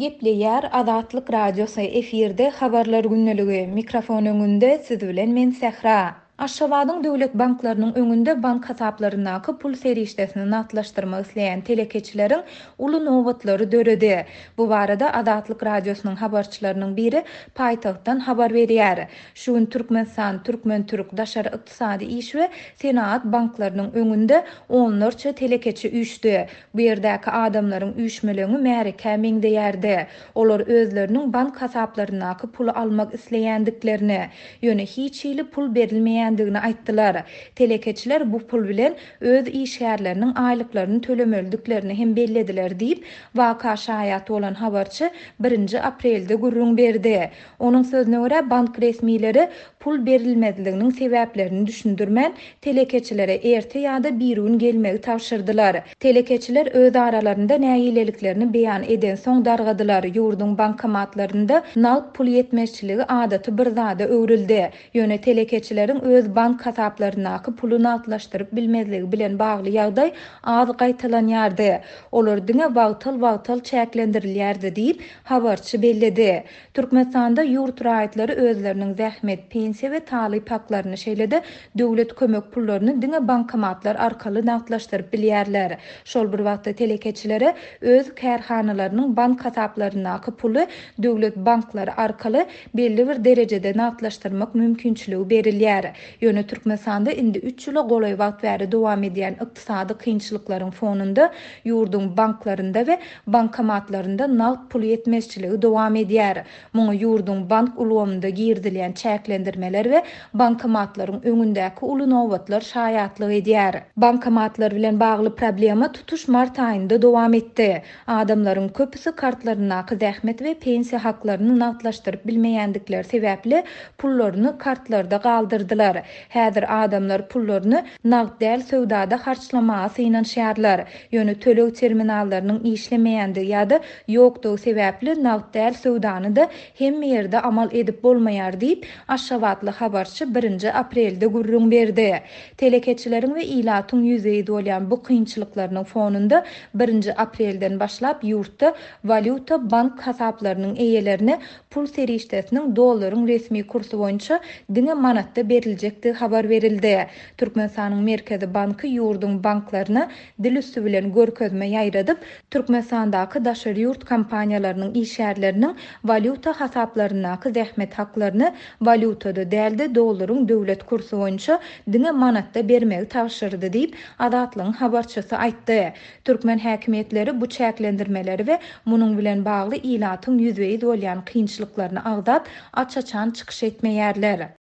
Gepleýär Azatlyk Radiosy, efirde Habarlar gündeligi, mikrofon öňünde siz bilen men Sähra. Aşgabadyň döwlet banklarynyň öňünde bank hasaplaryndaky pul serişdesini nagtlaşdyrmak isleýän telekeçileriň uly nobatlary döredi. Bu barada Azatlyk Radiosynyň habarçylarynyň biri paýtagtdan habar berýär. Şu gün Türkmenistan, Türkmen-türk, Daşary ykdysady iş we senagat banklarynyň öňünde onlarça telekeçi üýşdi. Bu ýerdäki adamlaryň üýşmeleňi märekä meňzeýärdi. Olar özleriniň bank hasaplaryndaky puly almak isleýändiklerini, ýöne hiç hili pul berilmeýändigini aýtdylar. Telekeçiler bu pul bilen öz işgärleriniň aýlyklaryny tölemelidiklerini hem bellediler diýip, waka şaýat bolan habarçy birinji aprelde gürrüň berdi. Onuň sözüne görä, bank resmileri pul berilmezliginiň sebäplerini düşündirmän, telekeçilere erte ýa-da birigün gelmegi tabşyrdylar. Telekeçiler öz aralarynda nägileliklerini beýan edensoň dargadylar. Ýurduň bankomatlarynda nagt pul ýetmezçiligi adaty bir zada öwrüldi. Ýöne telekeçileriň öz bank hasaplaryndaky puly nagtlaşdyryp bilmezligi bilen bagly ýagdaý az gaýtalanýardy. Olar diňe wagtal-wagtal çäklendirilýärdi diýip, habarçy belledi. Türkmenistanda ýurt raýatlary özleriniň zähmet, pensiýa we talyp haklaryny, şeýle-de döwlet kömek pullaryny diňe bankomatlar arkaly nagtlaşdyryp bilýärler. Şol bir wagtda telekeçilere öz kärhanalarynyň bank hasaplaryndaky puly döwlet banklary arkaly belli bir derejede nagtlaşdyrmak mümkinçiligi berilýär. Ýöne Türkmenistanda indi üç ýyla golaý wagt bäri dowam edýän ykdysady kynçylyklaryň fonunda ýurduň banklarynda we bankomatlarynda nagt pul ýetmezçiligi dowam edýär. Muňa ýurduň bank ulgamynda girizilýän çäklendirmeler we bankomatlaryň öňündäki uly nobatlar şaýatlyk edýär. Bankomatlar bilen bagly problema tutuş mart aýynda dowam etdi. Adamlaryň köpüsi kartlaryndaky zähmet we pensiýa haklaryny nagtlaşdyryp bilmeýändikleri sebäpli pullaryny kartlarda galdyrdylar. Häzir adamlar pullaryny nagt däl söwdada harçlamaga synanyşýarlar. Ýöne töleg terminallarynyň işlemeýändigi ýa-da ýokdugy sebäpli nagt däl söwdany-da hemme ýerde amal edip bolmaýar diýip, aşgabatly habarçy birinji aprelde gürrüň berdi. Telekeçileriň we ilatyň ýüzbe-ýüz bolýan bu kynçylyklarynyň fonunda birinji aprelden başlap ýurtda walýuta bank hasaplarynyň eýelerine pul serişdesiniň dollaryň resmi kursy boýunça diňe manatda beriljekdigi habar berildi. Türkmenistanyň Merkezi banky ýurduň banklaryna dil üsti bilen görkezme ýaýradyp, Türkmenistandaky daşary ýurt kompaniýalarynyň işgärleriniň walýuta hasaplaryndaky zähmet haklaryny walýutada däl-de, dollaryň döwlet kursy boýunça diňe manatda bermegi tabşyrdy diýip, Azatlygyň habarçysy aýtdy. Türkmen häkimiýetleri bu çäklendirmeleri we munuň bilen bagly ilatyň ýüzbe-ýüz bolýan kynçylyklaryny agzap, aç-açan çykyş etmeýärler.